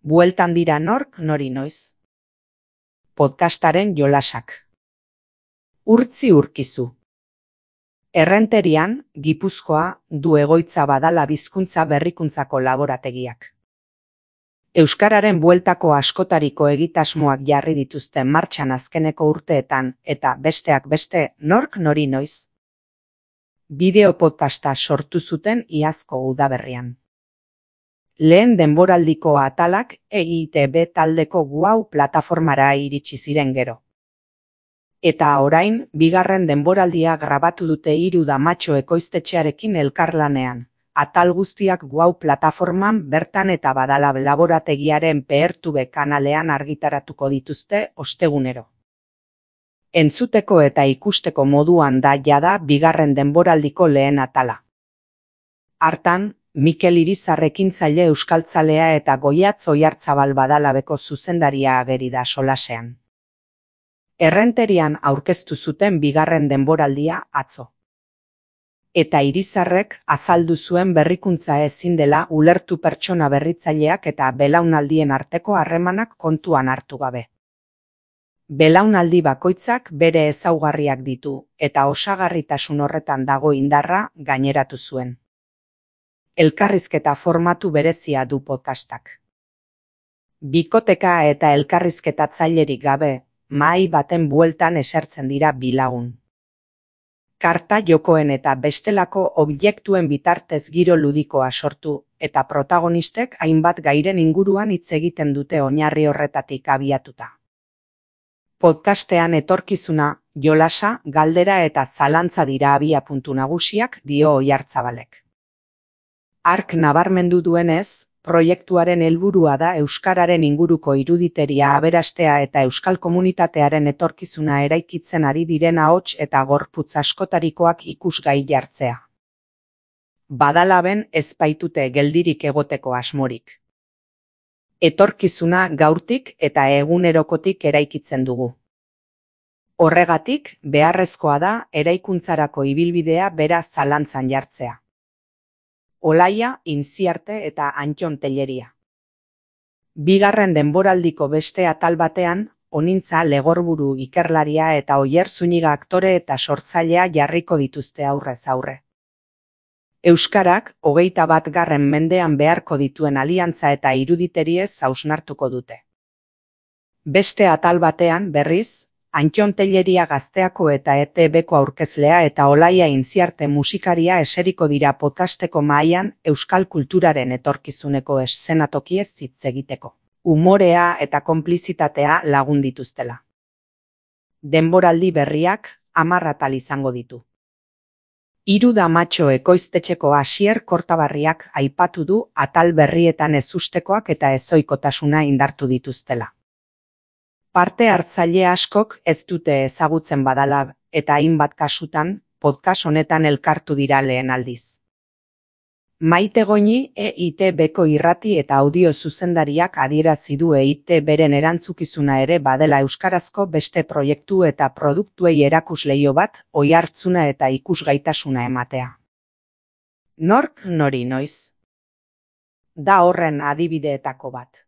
Bueltan dira nork nori noiz. Podcastaren jolasak. Urtzi Urkizu. Errenterian, Gipuzkoa, du egoitza Badala Bizkuntza Berrikuntzako laborategiak. Euskararen bueltako askotariko egitasmoak jarri dituzten martxan azkeneko urteetan eta besteak beste nork nori noiz. Bideo podcasta sortu zuten iazko udaberrian. Lehen denboraldiko atalak EITB taldeko Guau plataformara iritsi ziren gero. Eta orain, bigarren denboraldia grabatu dute Hiru Damatxo ekoiztetxearekin elkarlanean. Atal guztiak Guau plataforman bertan eta Badala laborategiaren PRTV kanalean argitaratuko dituzte ostegunero. Entzuteko eta ikusteko moduan da jada bigarren denboraldiko lehen atala. Hartan, Mikel Irizar ekintzaile euskaltzalea eta Goiatz Oiartzabal Badalabeko zuzendaria ageri da solasean. Errenterian aurkeztu zuten bigarren denboraldia atzo. Eta Irizarrek azaldu zuen berrikuntza ezin dela ulertu pertsona berritzaileak eta belaunaldien arteko harremanak kontuan hartu gabe. Belaunaldi bakoitzak bere ezaugarriak ditu eta osagarritasun horretan dago indarra gaineratu zuen. Elkarrizketa formatu berezia du podcastak. Bikoteka eta elkarrizketatzailerik gabe, mahai baten bueltan esertzen dira bi lagun. Karta jokoen eta bestelako objektuen bitartez giro ludikoa sortu eta protagonistek hainbat gairen inguruan hitz egiten dute oinarri horretatik abiatuta. Podcastean etorkizuna, jolasa, galdera eta zalantza dira abiapuntu nagusiak, dio Oiartzabalek. Hark nabarmendu duenez, proiektuaren helburua da euskararen inguruko iruditeria aberastea eta euskal komunitatearen etorkizuna eraikitzen ari diren ahots eta gorputz askotarikoak ikusgai jartzea. Badalaben ez baitute geldirik egoteko asmorik. Etorkizuna gaurtik eta egunerokotik eraikitzen dugu. Horregatik, beharrezkoa da eraikuntzarako ibilbidea bera zalantzan jartzea. Olaia, Intziarte eta Antton Telleria. Bigarren denboraldiko beste atal batean, Onintza Legorburu ikerlaria eta Oier Zuniga aktore eta sortzailea jarriko dituzte aurrez aurre. Euskarak 21. mendean beharko dituen aliantza eta iruditeries hausnartuko dute. Beste atal batean, berriz, Antton Telleria Gazteako eta ETBko aurkezlea eta Olaia Intziarte musikaria eseriko dira podcasteko mahaian euskal kulturaren etorkizuneko eszenatokiez hitz egiteko. Umorea eta konplizitatea lagun dituztela. Denboraldi berriak 10 atal izango ditu. Hiru Damatxo ekoiztetxeko Asier Kortabarriak aipatu du atal berrietan ezustekoak eta ezoikotasuna indartu dituztela. Parte hartzaile askok ez dute ezagutzen Badala eta hainbat kasutan podcast honetan elkartu dira lehen aldiz. Maite Goñi EITBko irrati eta audio zuzendariak adierazi du EITBren erantzukizuna ere badela euskarazko beste proiektu eta produktuei erakusleio bat, oihartzuna eta ikusgaitasuna ematea. Nork nori noiz? Da horren adibideetako bat.